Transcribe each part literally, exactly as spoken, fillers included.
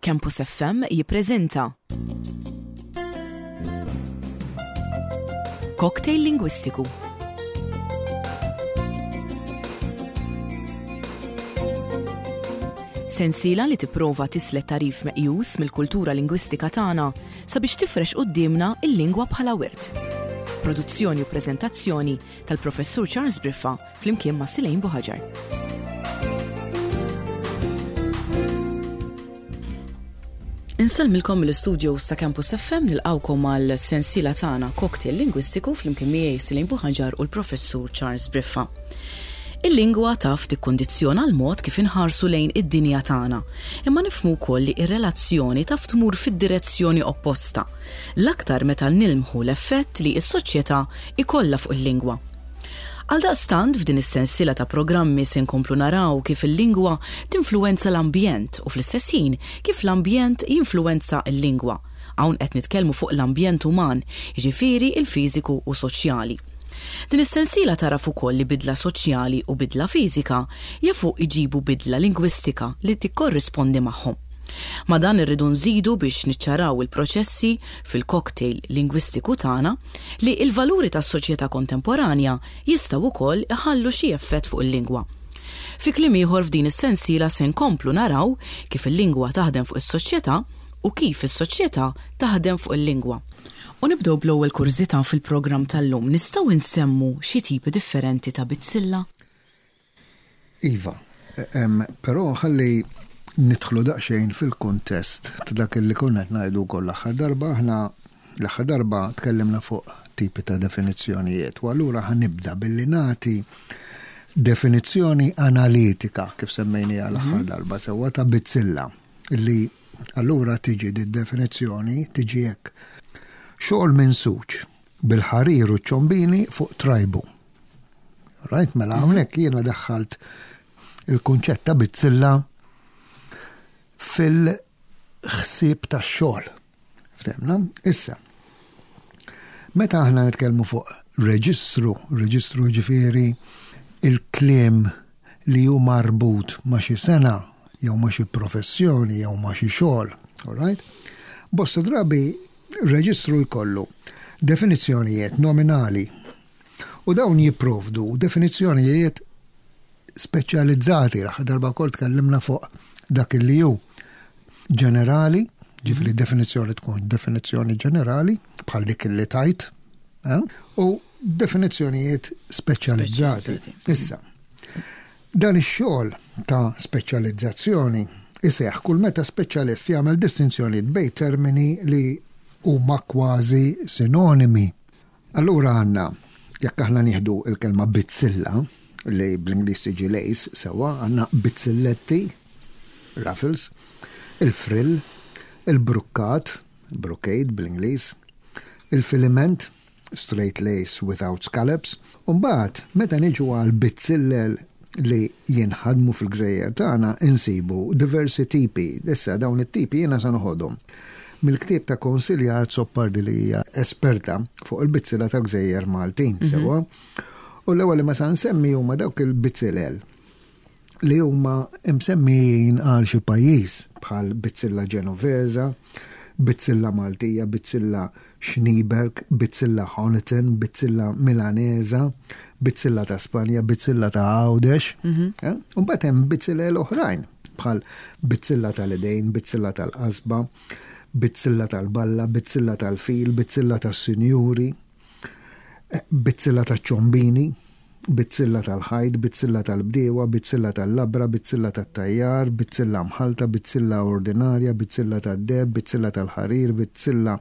Campus F M jippreżenta Cocktail Lingwistiku. Sensiela li tipprova tislet tagħrif meqjus mill-kultura lingwistika tagħna sabiex tifrex quddiemna il-lingwa bħala wirt. Produzzjoni u preżentazzjoni tal-Professur Charles Briffa flimkien ma' Silejn Buħaġar. Insellmilkom mill-istudio sa' Campus F M, nilqawkom għal sensiela tagħna Cocktail Lingwistiku flimkien miegħi Silejn Buħaġar u l-Professur Charles Briffa. Il-lingwa taf tikkondizzjona l-mod kif inħarsu lejn id-dinja tagħna, imma nifhmu wkoll li r-relazzjoni taf tmur fid-direzzjoni opposta, l-aktar meta nilmħu l-effett li s-soċjetà ikollha fuq il-lingwa. Għaldaqstant, f'din is-sensiela ta' programmi se nkomplu naraw kif il-lingwa tinfluwenza l-ambjent u fl-istess ħin kif l-ambjent jinfluwenza l-lingwa. Hawn qed nitkellmu fuq l-ambjent uman, jiġifieri il-fiżiku u soċjali. Din is-sensiela taraf ukoll li bidla soċjali u bidla fiżika jafu iġibu bidla lingwistika li tikkorrispondi magħhom. Ma dan irridu nżidu biex niċċaraw il-proċessi fil-cocktail lingwistiku tagħna li l-valuri tas-soċjetà kontemporanja jistgħu wkoll iħallu xi effett fuq il-lingwa. Fi kliem ieħor, f'din is-sensiela se nkomplu naraw kif il-lingwa taħdem fuq is-soċjetà u kif is-soċjetà taħdem fuq il-lingwa. U nibdew bl-ewwel kurżità fil-programm tal-lum. Nistgħu nsemmu xi tipi differenti ta' bizzilla? Iva, em, però ħalli nidħlu daqsxejn fil-kuntest ta' dak li konna qed ngħidu wkoll l-aħħar darba. Aħna l-aħħar darba tkellimna fuq tipi ta' definizzjonijiet u allura ħa nibda billi nagħti definizzjoni analitika, kif semmejniha l-aħħar darba sewwa, ta' bizzilla, li allura tiġi di definizzjoni tiġi hekk: xogħol minsuġ bil-ħarir u ċombini fuq trajbu. Right, mela hawnhekk jiena daħħalt il-kunċett ta' bizzilla fil-ħsieb tax-xogħol. Ftemna? Issa, meta aħna nitkellmu fuq reġistru, reġistru ġifieri il-kliem li hu marbut ma' xi sena jew ma' xi professjoni jew ma' xi xogħol, all right? Bosta drabi reġistru jkollu definizzjonijiet nominali u dawn jipprovdu definizzjonijiet speċjalizzati. L-aħħar darba wkoll tkellimna fuq dak li hu ġenerali, ġifieri definizzjoni tkun definizzjoni ġenerali bħal dik li tajt, eh? U definizzjonijiet speċjalizzati. Speċjalizzati. Issa, dan ix-xogħol ta' speċjalizzazzjoni iseħħ kull meta speċjalist jagħmel distinzjoni bejn termini li huma kważi sinonimi. Allura għandna, jekk aħna nieħdu il-kelma bizzilla, li bl-Ingliż tiġi lace, sewwa, għandna bizzilletti, ruffles, il-frill, il-brukkat, brocade bl-Ingliż, il-filament, straight lace without scallops, u mbagħad meta niġu għal bizzillel li jinħadmu fil-gżejjer tagħna insibu diversi tipi. Issa dawn it-tipi jiena sa noħodhom mill-ktieb ta' Consilia Azzopardi, li hija esperta fuq il-bizzilla tal-gżejjer Maltin, sewwa. U l-ewwel li ma sa nsemmi huma dawk il-bizzillel li huma msemmijin għal xi pajjiż, bħal bizzilla Ġenovesa, bizzilla Maltija, bizzilla Schneeberg, bizzilla Honiton, bizzilla Milanesa, bizzilla ta' Spanja, bizzilla ta' Għawdex. Eh? U mbagħad hemm bizzillel oħrajn bħal bizzilla tal-idejn, bizzilla tal-qasba, bizzilla tal-balla, bizzilla tal-fil, bizzilla tas-sinjuri, eh, bizzilla taċ-ċombini, bizzilla tal-ħajt, bizzilla tal-bdiewa, bizzilla tal-labra, bizzilla tat-tajjar, bizzilla mħalta, bizzilla ordinarja, bizzilla tad-deheb, bizzilla tal-ħarir, bizzilla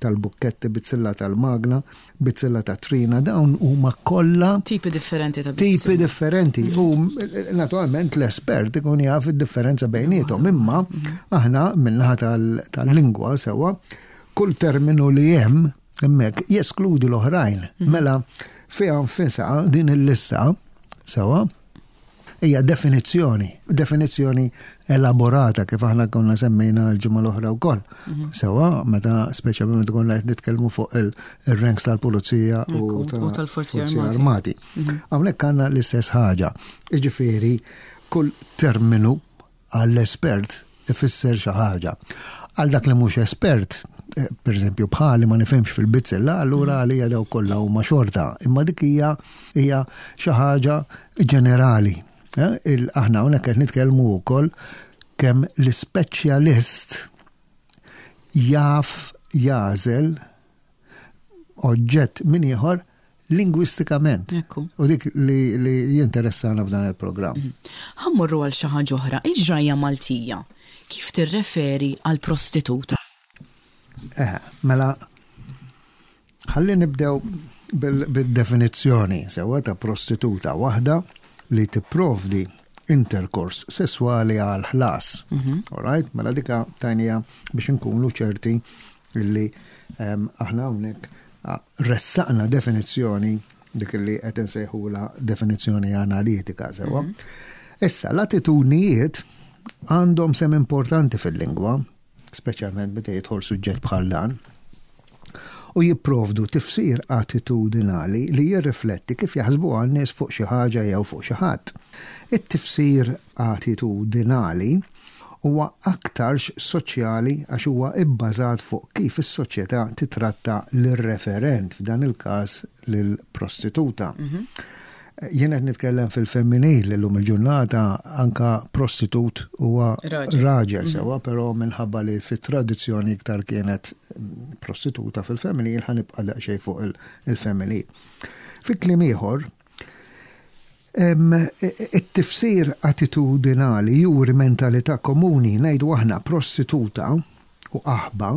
tal-bukketti, bizzilla tal-magna, bizzilla tat-trina. Dawn huma kollha tipi differenti ta' tipi bizzilla. Differenti. U naturalment l-espert ikun jaf id-differenza bejniethom, imma aħna min-naħa tal- tal-lingwa sewwa, kull terminu li hemm hemmhekk jeskludi l-oħrajn. Mela fiha nfisha din il-lista sewwa hija definizzjoni, definizzjoni elaborata, kif aħna konna semmejna l-ġimgħa l-oħra wkoll. Sewwa, meta speċjalment meta konna qed nitkellmu fuq il- il-ranks tal-pulizija u Ekku, ta' u tal-Forzi Forzi Armati. Armati. Hawnhekk għandna l-istess ħaġa. Jiġifieri kull terminu għall-espert ifisser xi ħaġa. Għal dak li mhux espert, eh, per eżempju bħali ma nifhimx fil-bizzilla, allura għalija daw kollha huma xorta, imma dik hija hija xi ħaġa ġenerali. Eh, il- Aħna hawnhekk qed nitkellmu wkoll kemm l-ispeċjalist jaf jagħżel oġġett minn ieħor lingwistikament. Ekku. U dik li, li jinteressana f'dan il-programm. Ħa mmorru għal xi ħaġa oħra, il-ġrajja Maltija. Kif tirreferi għal prostituta? Eh, mela, ħalli nibdew bil- bil-definizzjoni sewa ta' prostituta, waħda li tipprovdi interkors sessuali għal ħlas. All right? Mela dika tajnija biex nkunu ċerti illi em, aħna hawnhekk ah, ressaqna definizzjoni, dik li qed insejħula definizzjoni analitika sewa. Issa, l-attitudnijiet għandhom sem importanti fil-lingwa, speċjalment meta jidħol suġġett bħal dan, u jipprovdu tifsir attitudinali li jirrifletti kif jaħsbu għan-nies fuq xi ħaġa jew fuq xi ħadd. It-tifsir attitudinali huwa aktarx soċjali għax huwa ibbażat fuq kif is-soċjetà titratta lir-referent, f'dan il-każ lill-prostituta. Jien qed nitkellem fil-femminil, illum il-ġurnata anka prostitut huwa Raġel. raġel sewa, però minħabba li fit-tradizzjoni iktar kienet mm, prostituta fil-femminil, ħa nibqa' daqsxejn fuq il- il-femminil. Fi kliem ieħor, em, it-tifsir attitudinali juri mentalità komuni. Ngħidu aħna, prostituta u qaħba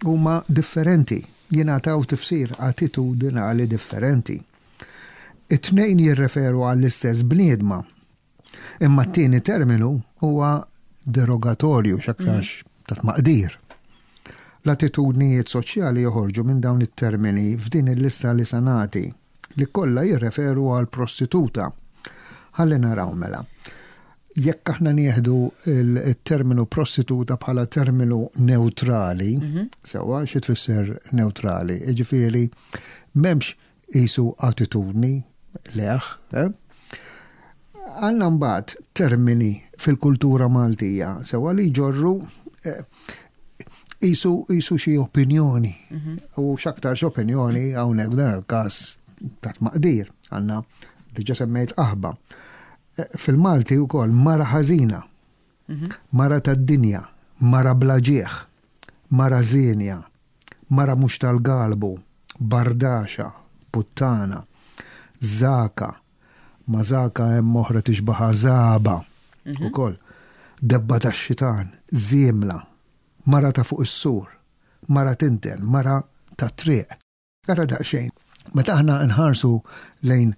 huma differenti, jingħataw tifsir attitudinali differenti. It-tnejn jirreferu għall-istess bniedma. Imma t-tieni terminu huwa derogatorju, x'aktarx ta' tmaqdir. L-attitudnijiet soċjali joħorġu minn dawn it-termini f'din il-lista li sa nagħti, li kollha jirreferu għal prostituta. Ħalli naraw mela. Jekk aħna nieħdu il-terminu prostituta bħala terminu neutrali, sewa, xi tfisser neutrali? Jiġifieri m'hemmx qisu attitudni leħ, eh? Għandna mbagħad termini fil-kultura Maltija, sewa, li jġorru eh, qisu qisu xi opinjoni. U x'aktarx opinjoni hawnhekk f'dan il-każ ta' tmaqdir. Għandna, diġà semmejt, qaħba. Eh, Fil-Malti wkoll mara ħażina, mara tad-dinja, mara bla ġieħ, mara żienja, mara mhux tal-galbu, bardaxa, puttana, zaka, ma zaka hemm oħra tixbaħa zaba ukoll, debba tax-xitan, żiemla, mara ta' fuq is-sur, mara tinten, mara ta' triq. Ara daqsxejn, meta aħna nħarsu lejn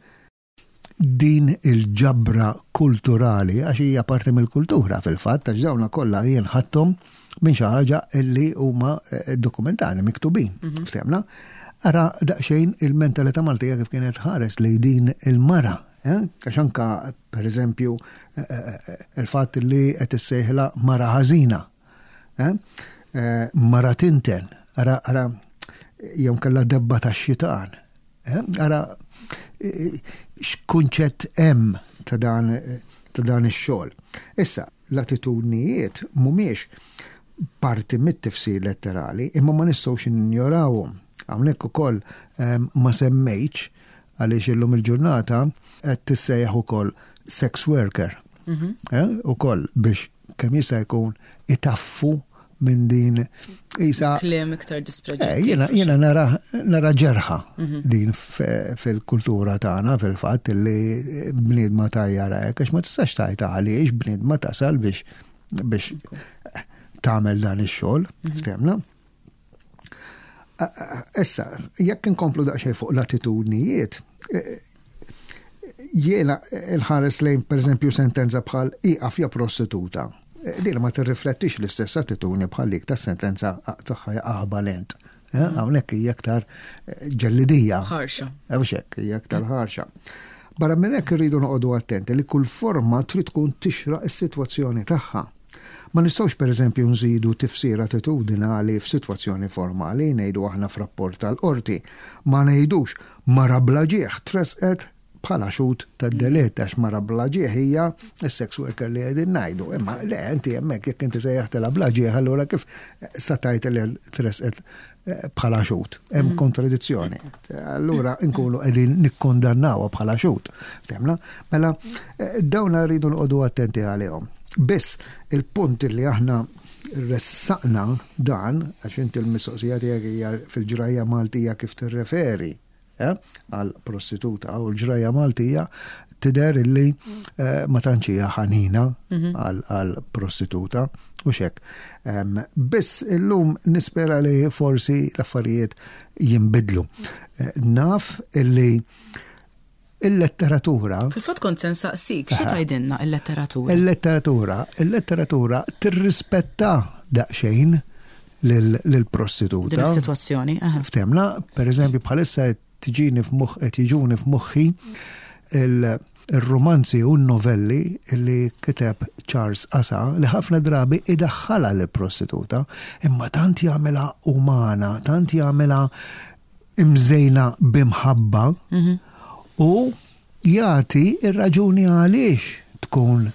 din il-ġabra kulturali, għax hija parti mill-kultura fil-fatt, għax dawna kollha jien ħadthom minn xi ħaġa illi huma eh, dokumentari miktubin, ftehmna? Ara daqsxejn il-mentalità Maltija kif kienet ħares lejn din il-mara. eh? Għax anka, per eżempju, eh, eh, il-fatt li qed issejħla mara ħażina, eh? Eh, Mara tinten, ara, ara, jew kellha debba tax-xitan. eh? Ara eh, x'kunċett hemm ta' dan ta' dan ix-xogħol. Issa, l-attitudnijiet mhumiex parti mit-tifsir letterali, imma ma nistgħux ninjorawhom. Hawnhekk ukoll em, ma semmejtx għaliex illum il-ġurnata qed tissejjaħ ukoll sex worker. Eh, ukoll biex kemm jista' jkun itaffu minn din isa Kliem iktar Eh, dispreġjattiv. Jiena jiena nara, nara ġerħa din f- fil-kultura tagħna fil-fatt li bniedma tajjara hekk, għax ma tistax tajta għaliex bniedma tasal biex biex tagħmel dan ix-xogħol, ftehmna. Issa, jekk inkomplu daqsxejn fuq l-attitudnijiet, eh, jiena il-ħares lejn, per eżempju, sentenza bħal "ieqaf ja prostituta". Eh, Din ma tirriflettix l-istess attitudni bħal dik ta' sentenza tagħha "ja qaħba lent". Eh, Hawnhekk hija aktar eh, ġellidija. Ħarxa. Hux hekk, hija aktar ħarxa. Barra minn hekk irridu noqogħdu attenti li kull forma trid tkun tixraq is-sitwazzjoni tagħha. Ma nistgħux, pereżempju, nżidu tifsir attitudinali f'sitwazzjoni formali, ngħidu aħna f'rapport tal-qorti. Ma ngħidux "mara bla ġieħ tresqet bħala xhud tad-delitt, għax mara bla ġieħ hija s-sex worker li qegħdin ngħidu. Imma le, inti hemmhekk jekk inti sejjaħtilha bla ġieħ, allura kif satajt li tresqet eh, bħala xhud? Hemm mm. kontradizzjoni. Allura nkunu qegħdin nikkondannawha bħala xhud. Ftemna? Mela eh, dawn rridu noqogħdu attenti għalihom. Biss il-punt li aħna ressaqna dan, għax inti l-mistoqsija tiegħek hija fil-ġrajja Maltija kif tirreferi eh, għal prostituta, u l-ġrajja Maltija tidher illi eh, ma tantx hija ħanina mhm. għal prostituta u xek. Biss illum nispera li forsi l-affarijiet jinbidlu. Eh, naf illi il-letteratura. Fil-fatt kont se nsaqsik, xi tgħidilna il-letteratura? Il-letteratura, il-letteratura tirrispetta daqsxejn lill-prostituta. Din is-sitwazzjoni. Ftemna, per eżempju, bħalissa tiġini f'moħ qed jiġuni f'moħħi il-romanzi u n-novelli li kiteb Charles Asa, li ħafna drabi idaħħala l-prostituta, imma tant jagħmilha umana, tant jagħmilha imżejna b'imħabba mhm. u jagħti ir-raġuni għaliex tkun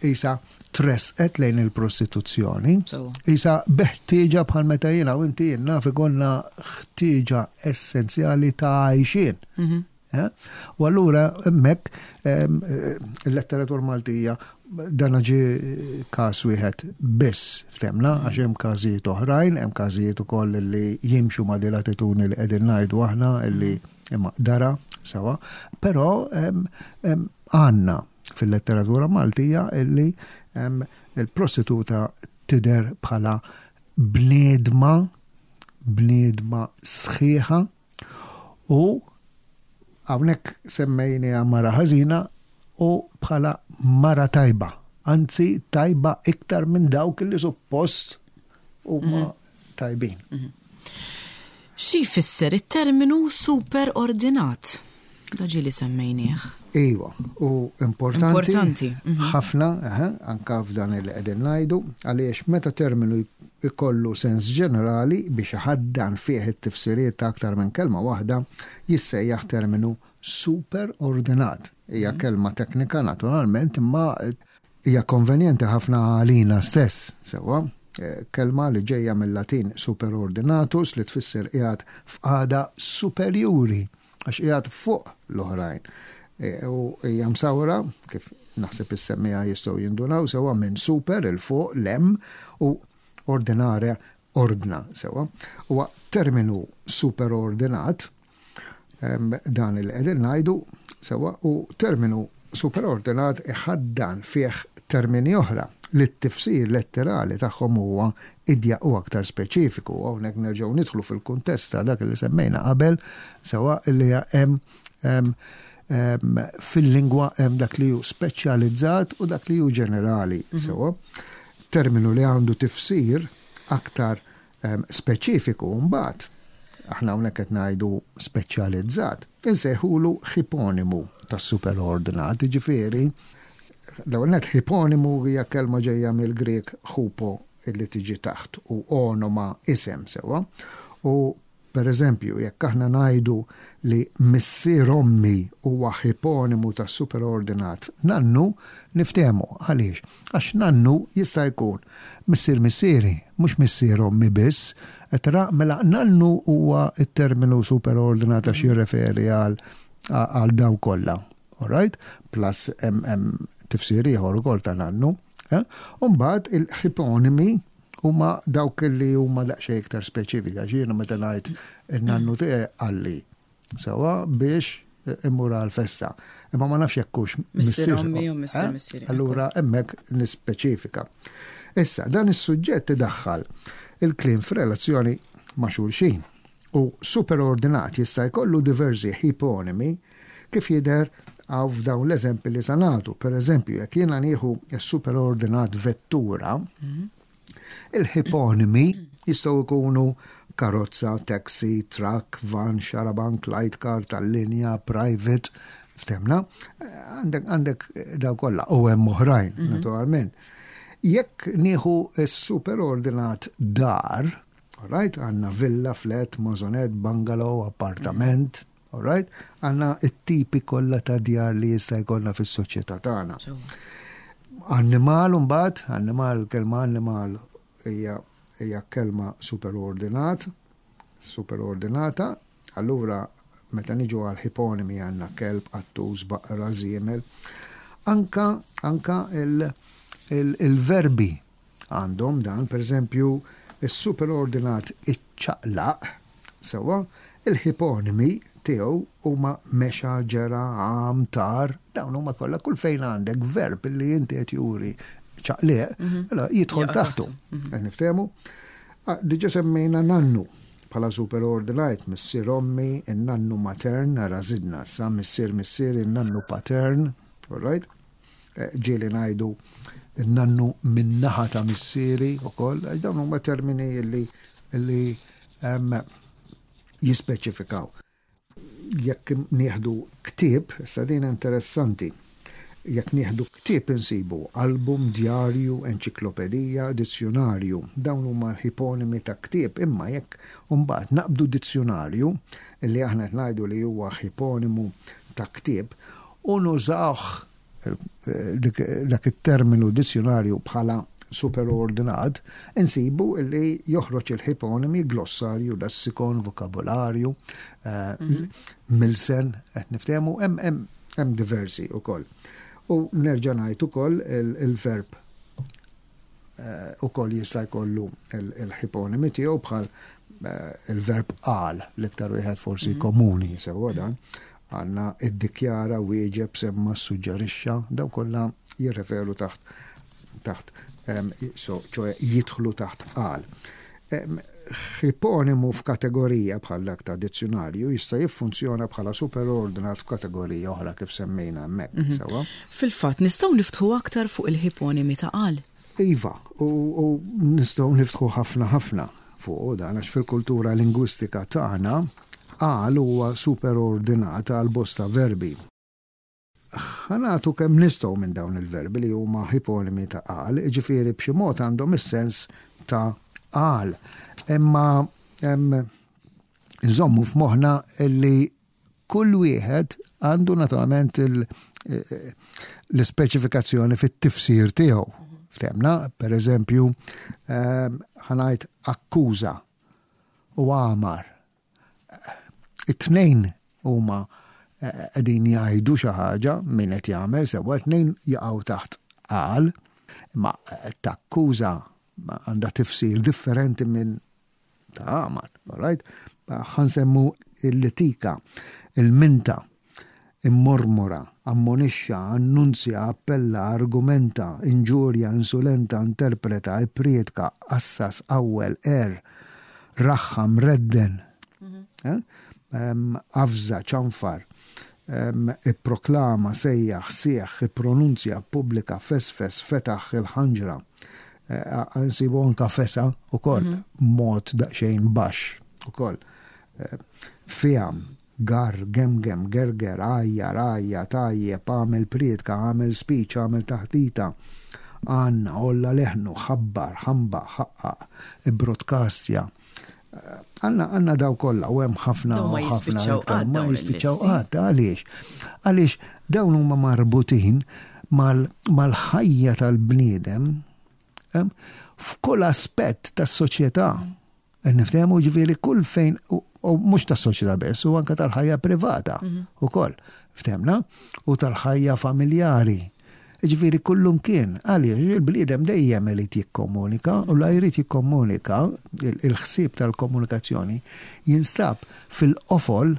isa tresqet lejn il-prostituzzjoni. Isa beħtieġa, bħal meta jiena u inti naf ikollna ħtieġa essenzjali ta' għajxien. Mhm. Eh? U allura hemmhekk il-letteratura Maltija, dan ġi każ wieħed biss, ftemna, għax hemm każijiet oħrajn, hemm każijiet ukoll li jimxu ma' din l-attitudni li qegħdin ngħidu aħna illi imma dara sawa, però għandna fil-letteratura Maltija illi il-prostituta tidher bħala bniedma, bniedma sħiħa, u hawnhekk semmejni mara ħażina u bħala mara tajba. Anzi, tajba iktar minn dawk li suppost huma mhm. tajbin. Mhm. Xi jfisser it-terminu superordinat? Da ġieli semmejnieh. Iva, u importanti. Importanti. Mhm. Ħafna, anka f'dan il qegħdin ngħidu, għaliex meta terminu ikollu sens ġenerali biex ħaddan fih it-tifsiriet ta' aktar minn kelma waħda, jissejjaħ terminu superordinat. Hija mhm. kelma teknika naturalment, imma hija konvenjenti ħafna għalina stess, sewwa. Eh, kelma li ġejja mill-Latin superordinatus, li tfisser qiegħed f'qagħda superjuri, għax qiegħed fuq l-oħrajn. E, u hija msawra, kif naħseb is-semmiegħa jistgħu jindunaw sewwa, minn super, 'il fuq, 'l hemm, u ordinare, ordna, sewwa. Huwa terminu superordinat dan il qegħdin ngħidu, sewwa, u terminu superordinat iħaddan fih termini oħra li t-tifsir letterali tagħhom huwa idjaq u aktar speċifiku. Hawnhekk nerġgħu nidħlu fil-kuntest ta' dak li semmejna qabel, sewwa, li hemm fil-lingwa hemm dak li hu speċjalizzat u dak li hu ġenerali. Mhm. Sewwa, terminu li għandu tifsir aktar speċifiku mbagħad, aħna hawnhekk qed ngħidu speċjalizzat, insejħulu ħiponimu tas-superordinat, ġifieri l-ewwel net ħiponimu hija kelma ġejja mill-Grek hupo, illi tiġi taħt, u onoma, isem, sewwa. U per eżempju, jekk aħna ngħidu li missier ommi huwa ħiponimu ta' superordinat nannu, niftehmu għaliex. Għax nannu jista' jkun missier missieri, mhux missier ommi biss. Tra mela nannu huwa it-terminu superordinat għax jirreferi għal għal daw kollha. Alright? Plus hemm tifsir ieħor ukoll ta' nannu. Eh? Umbagħad il-ħiponimi huma dawk li huma daqsxejn iktar speċifika. Jiena meta ngħid in-nannu tiegħi qalli, sewwa, biex immur għal-festa. Imma ma nafx jekk hux missier ommi u missier eh? missieri. Allura hemmhekk nispeċifika. Issa, dan is-suġġett idaħħal il-kliem f'relazzjoni ma' xulxin. U superordinat jista' jkollu diversi ħiponimi, kif jidher għaw f'dawn l-eżempi li sa nagħtu. Per eżempju, jekk jiena nieħu s-superordinat vettura, mhm. il-ħiponimi jistgħu jkunu karozza, taxi, truck, van, xarabank, light car, tal-linja, private, ftemna, għandek għandek daw kollha u hemm oħrajn, mhm. naturalment. Jekk nieħu s-superordinat dar, right, għandna villa, flat, maisonette, bungalow, appartament, All right? Għandna it-tipi kollha ta' djar li jista' jkollna fis-soċjetà tagħna. Annimal mbagħad, annimal, kelma annimal hija hija kelma superordinat, superordinata, allura meta niġu għal iponimi għandna kelb, qattus, baqra, żiemel. Anka, anka il-verbi għandhom dan, per eżempju, il-superordinat iċċaqlaq, sewwa, il-iponimi tiegħu huma mexa, ġera, għam, tar, dawn huma kollha kull fejn għandek verb li inti qed juri ċaqliq, mhm. mela jidħol taħtu. Mhm. Qed niftehmu? Ah, diġà semmejna nannu bħala superordinat, missier ommi, in-nannu matern, ara żidna, sa missier missier, in-nannu patern, all right? Eh, ġieli ngħidu nannu min-naħa ta' missieri u koll, dawn huma termini li li jispeċifikaw. Jekk nieħdu ktieb, sa din interessanti, jekk nieħdu ktieb insibu album, djarju, enċiklopedija, dizzjonarju. Dawn huma l-iponimi ta' ktieb, imma jekk mbagħad naqbdu dizzjonarju, li aħna qed ngħidu li huwa iponimu ta' ktieb, u nużawh dak it-terminu dizzjonarju bħala superordinat, insibu li joħroġ il-iponimi glossarju, lessikon, vokabularju, eh, mhm. milsen, qed niftehmu, hemm diversi ukoll. U nerġa' ngħid ukoll il-verb eh, ukoll jista' jkollu il-iponimi tiegħu bħal eh, il-verb qal, l-iktar wieħed forsi mhm. komuni sewwa dan, għandna iddikjara, wieġeb, semma, suġġerixxa, daw kollha jirreferu taħt taħt so, ċoè jidħlu taħt qal. Iponimu f'kategorija bħal dak ta' dizzjonarju jista' jiffunzjona bħala superordinat f'kategorija oħra kif semmejna hemmhekk. Mhm. Sewwa? Fil-fatt, nistgħu niftħu aktar fuq il-iponimi ta' qal. Iva, u, u nistgħu niftħu ħafna ħafna fuq dan għax fil-kultura lingwistika tagħna qal huwa superordinat għal bosta verbi. Ħa nagħtu kemm nistgħu minn dawn il-verbi li huma iponimi ta' qal, jiġifieri b'xi mod għandhom is-sens ta' qal. Imma nżommu f'moħħna li kull wieħed għandu naturalment l-ispeċifikazzjoni fit-tifsir tiegħu. Ftehmna, per eżempju, ħa ngħid akkuża u għamar. It-tnejn huma qegħdin jgħidu xi ħaġa min qed jagħmel sewwa, tnejn jaqgħu taħt qal, imma takkuża għandha tifsir differenti minn ta' għamar, right? Ħa nsemmu il-litika, il-minta, immormora, ammonixxa, annunzja, appella, argumenta, inġurja, insulenta, interpreta, ipprietka, assas, awwel, er, raħħam, redden, mhm. eh? avża, ċanfar, ipproklama, sejjaħ, sieħ, ippronunzja, pubblika, fesfes, fetaħ il-ħanġra. Eh, nsibu anka fesa u koll, mhm. mod daqxejn baxx u koll. Eh, Fiam, gar, gemgem, gerger, għajjar, għajja, tajjeb, għamel prietka, għamel speech, għamel taħdita, għanna, għolla leħnu, ħabbar, ħamba, ħaqqaq, broadcastja. Għandna għandna daw kollha u hemm ħafna u ħafna iktar ma jispiċċaw qatt għaliex. Għaliex dawn huma marbutin mal-ħajja tal-bniedem f'kull aspett tas-soċjetà. Niftehmu ġifieri kull fejn u mhux tas-soċjetà biss, u anke tal-ħajja privata mhm. ukoll. Ftehmna? U tal-ħajja familjari. Ġifieri kullum kien, għaliex il-bniedem dejjem irid jikkomunika u la jrid jikkomunika il-ħsieb tal-komunikazzjoni jinstab fil-qofol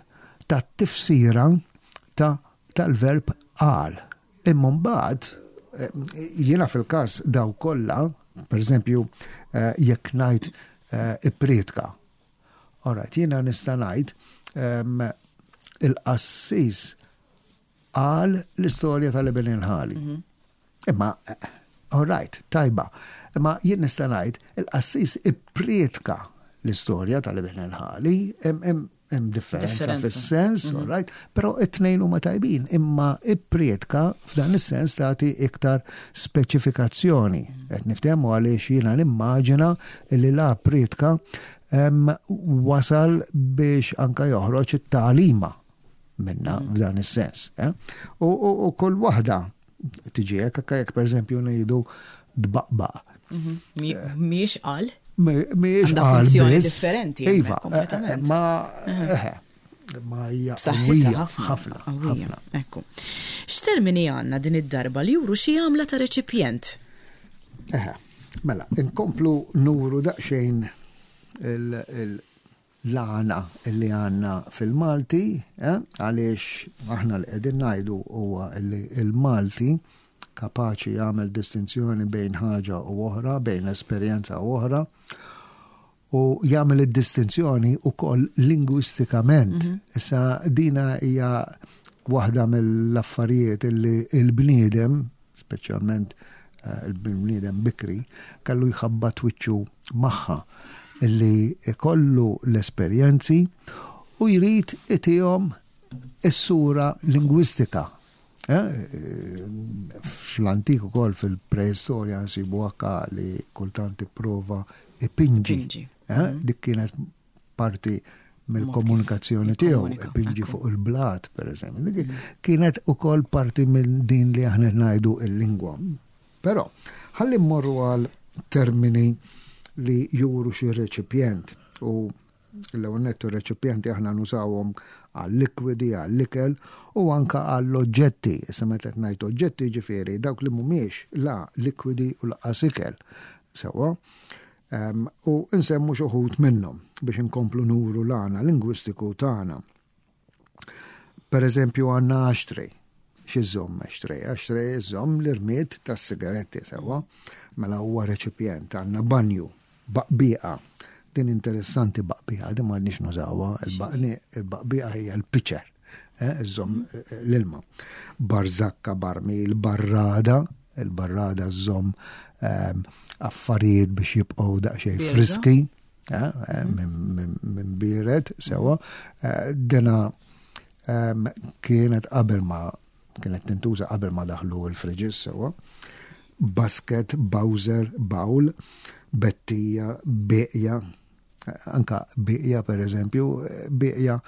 tat-tifsira ta' tal-verb qal. Imma mbagħad eh, jiena fil-każ daw kollha, pereżempju, eh, jekk ngħid eh, ipprietka. Alright, jiena nista' ngħid ehm, il-qassis qal l-istorja tal-Iben il-Ħali. Mhm. Imma, all right, tajba. Imma jien nista' ngħid il-qassis ipprietka l-istorja tal-Iben il-Ħali, hemm differenza fis-sens, mhm. all right, però it-tnejn huma tajbin, imma ipprietka f'dan is-sens tagħti iktar speċifikazzjoni. Mhm. Qed niftehmu għaliex jiena nimmaġina li la prietka wasal biex anka joħroġ it-tagħlima. minna f'dan is-sens. eh? U, u, u kull waħda tiġi hekk, anke jekk pereżempju ngħidu dbaqbaq. Mhijiex qal. Mhijiex Għandha qal funzjoni biss. differenti Iva, hemmhekk kompletament. eh, ma eħe, ma hija B'saħħitha qawwija ħafna. ħafna, Qawwija. ħafna. Ekku. X'termini għandna din id-darba li juru xi għamla ta' reċipjent? Eħe, mela, inkomplu nuru daqsxejn il- il- l-għana li għanna fil-Malti, eh, għaliex aħna li qegħdin ngħidu huwa li il-Malti kapaċi jagħmel distinzjoni bejn ħaġa u oħra, bejn esperjenza u oħra, u jagħmel id-distinzjoni ukoll lingwistikament. Issa dina hija waħda mill-affarijiet illi il-bniedem, speċjalment eh, il-bniedem bikri, kellu jħabbat wiċċu magħha illi ikollu l-esperjenzi u jrid itihom is-sura lingwistika. Eh, Fl-antik ukoll fil-preistorja nsibu anka li kultant ipprova ipinġi. Ipinġi. Eh, Dik kienet parti mill-komunikazzjoni Mod kif tiegħu, jikkomunika, ipinġi ekku. fuq il-blat, per eżempju. Dik Kienet ukoll parti minn din li aħna ngħidu il-lingwa. Però, ħalli mmorru għal termini li juru xi reċipjent u l-ewwel nettu reċipjenti aħna nużawhom għal likwidi, għal ikel u anka għall oġġetti. Issa meta qed ngħid oġġetti ġifieri dawk li mhumiex la likwidi u lanqas ikel. Sewwa. Em, u nsemmu xi wħud minnhom biex inkomplu nuru l-għana lingwistiku tagħna. Per eżempju għandna ashtray. X'iżżomm ashtray? Ashtray iżżomm l-irmied tas-sigaretti sewwa. Mela huwa reċipjent, għandna banju, baqbiqa. Din interessanti baqbiqa, din m'għadniex nużawha, il-baqni- il-baqbiqa hija l-pitcher, eh, iżżomm eh, l-ilma. Barzakka, barmil, barrada, il-barrada żżomm ehm, affarijiet biex jibqgħu daqsxejn Birda. friski, eh, eh, minn min, min biret, sewwa. Eh, Dena ehm, kienet qabel ma kienet tintuża qabel ma daħlu il-fridges sewwa. Basket, bowser, bowl, bettija, beqja, anka beqja per eżempju, beqja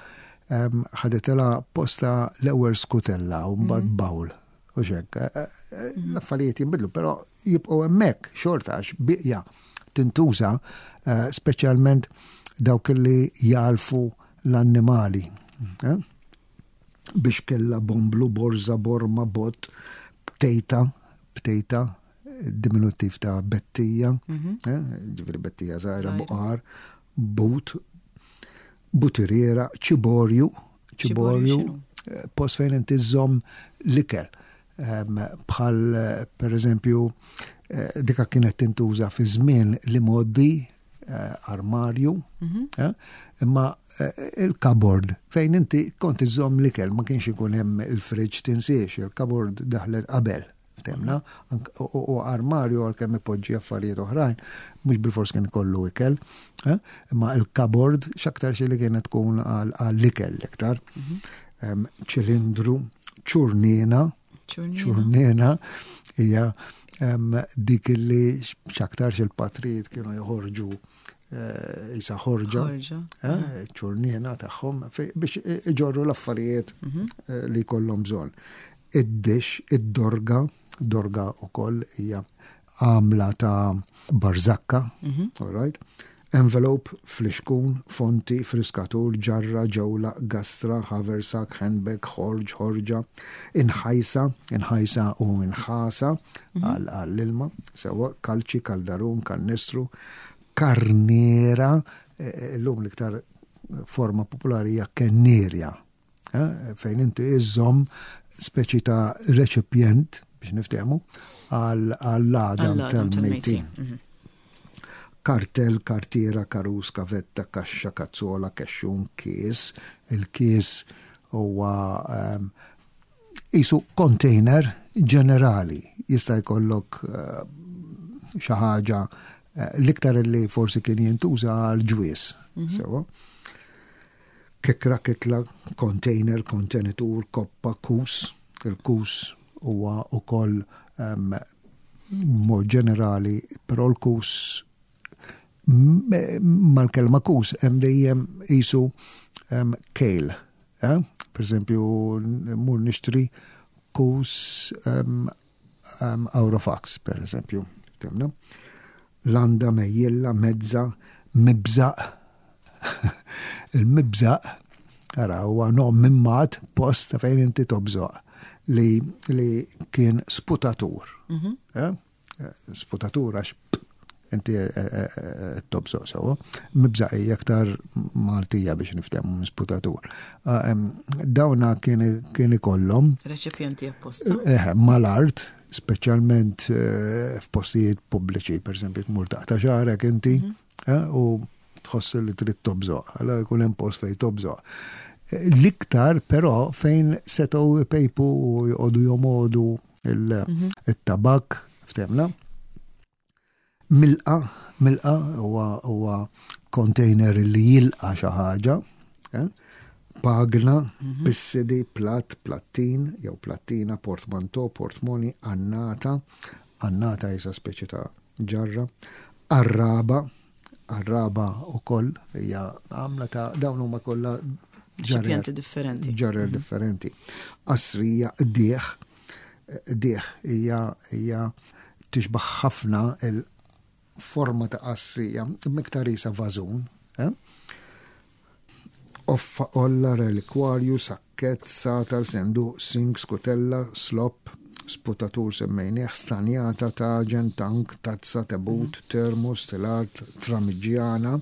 em, ħadetilha posta l-ewwel skutella u mbagħad bowl. U xek, eh, eh, l-affarijiet jinbidlu, però jibqgħu hemmhekk xorta għax beqja tintuża eh, speċjalment dawk li jalfu l-annimali. eh? Biex kella bomblu, borza, borma, bot, btejta, btejta, diminutiv ta' bettija, eh, ġifieri bettija żgħira, Żgħira. buqar, but, butiriera, ċiborju, Ċiborju ċiborju, x'inhu? eh, post fejn inti żżomm l-ikel. Em, Bħal, eh, per eżempju, eh, dika kienet tintuża fi żmien li moddi eh, armarju, eh, imma eh, il-cupboard fejn inti kont iżżomm l-ikel, ma kienx ikun hemm il-fridge tinsiex, il-cupboard daħlet qabel. Temna, ank- u u armarju għalkemm ipoġġi affarijiet oħrajn, mhux bil-fors kien ikollu ikel, eh, imma il-cupboard x'aktar xi li kienet tkun għal- għall-ikel l-iktar. Em, ċilindru, ċurnina, Ċurnina. ċurnina hija em, dik li x'aktarx il-patrijiet kienu joħorġu eh, isa ħorġa, Ħorġa. eh, ċurnina tagħhom fej- biex iġorru l-affarijiet eh, li jkollhom bżonn. Id-dix, id-dorga, dorga ukoll hija għamla ta' barzakka, all right? Envelope, flixkun, fonti, friskatur, ġarra, ġewla, gastra, haversack, handbag, ħorġ, ħorġa, inħajsa, inħajsa u inħasa għal għall-ilma, sewwa, kalċi, kaldarun, kannistru, karniera, eh, l-lum l-iktar forma popolari hija kennierja, eh, fejn inti iżżomm speċi ta' reċipjent biex niftehmu għal għall-għadam Għall-għadam tal-mejtin. tal-mejtin. Mhm. Kartel, kartiera, karus, kavetta, kaxxa, kazzola, kexxun, kies. Il-kies huwa um, isu container ġenerali. Jista' jkollok uh, xi ħaġa eh, l-iktar li forsi kien jintuża għal ġwies. Sewwa. Kekra, kitla, container, kontenitur, koppa, kus. Il-kus huwa ukoll um, mod ġenerali, però l-kus m- mal-kelma kus hemm dejjem isu um, kejl. Eh? Per eżempju, mur nixtri kus um, um, Aurofax, per eżempju. Ftemna? Landa, mejjilla, mezza, mibżaq. Il-mibżaq, ara, huwa nom mimmat post ta' fejn inti tobżoq li, li kien sputatur. Mm -hmm. eh? Sputatur għax inti eh, eh, eh, tobżoq sewa. Mibżaq hija aktar Maltija biex niftehmu minn sputatur. Ah, dawna kien kien ikollhom Reċipjenti apposta. Eh, mal-art, speċjalment f'postijiet pubbliċi, per eżempju, tmur taqta' xagħrek inti mhm. u tħoss li trid tobżoq, allora jkun hemm post fejn tobżoq. L-iktar però fejn setgħu pejpu u joqogħdu jomodu mhm. il-tabak, ftemna. Milqa, milqa huwa huwa container li jilqa xi ħaġa, eh? Pagna, mhm. pissidi, plat, plattin, jew plattina, portmanto, portmoni, annata, annata jisa speċi ta' ġarra, arraba, arraba u koll, hija għamla ta' dawn huma kollha ġarrer differenti. Ġarrer mhm. differenti. Qasrija, dieħ, dieħ hija hija tixbaħ ħafna il-forma ta' qasrija, miktar isa vażun, eh? Offa, olla, relikwarju, sakket, satal, senduq, sink, skutella, slop, sputatur semmejnieh, stanjata, taġen, tank, tazza, tebut, termos, telart, tramiġjana,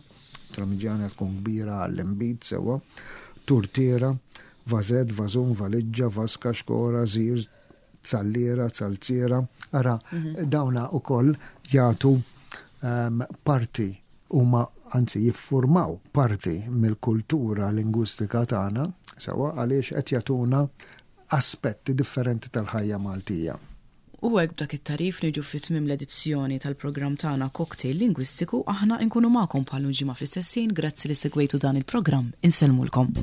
tramiġjana tkun kbira għall-imbid sewa, turtiera, vażett, vażun, valiġġa, vaska, xkora, żir, zalliera, zalziera. Ara, mhm. dawna u koll jagħtu um, parti huma anzi jiffurmaw parti mill-kultura lingwistika tagħna, sewa għaliex qed jagħtuna aspetti differenti tal-ħajja Maltija. U hekk b'dak it-tagħrif niġu fi tmiem l-edizzjoni tal-programm tagħna Cocktail Lingwistiku. Aħna nkunu magħkom bħal ġimgħa fl-istess ħin. Grazzi li segwejtu dan il-programm. Insellmulkom.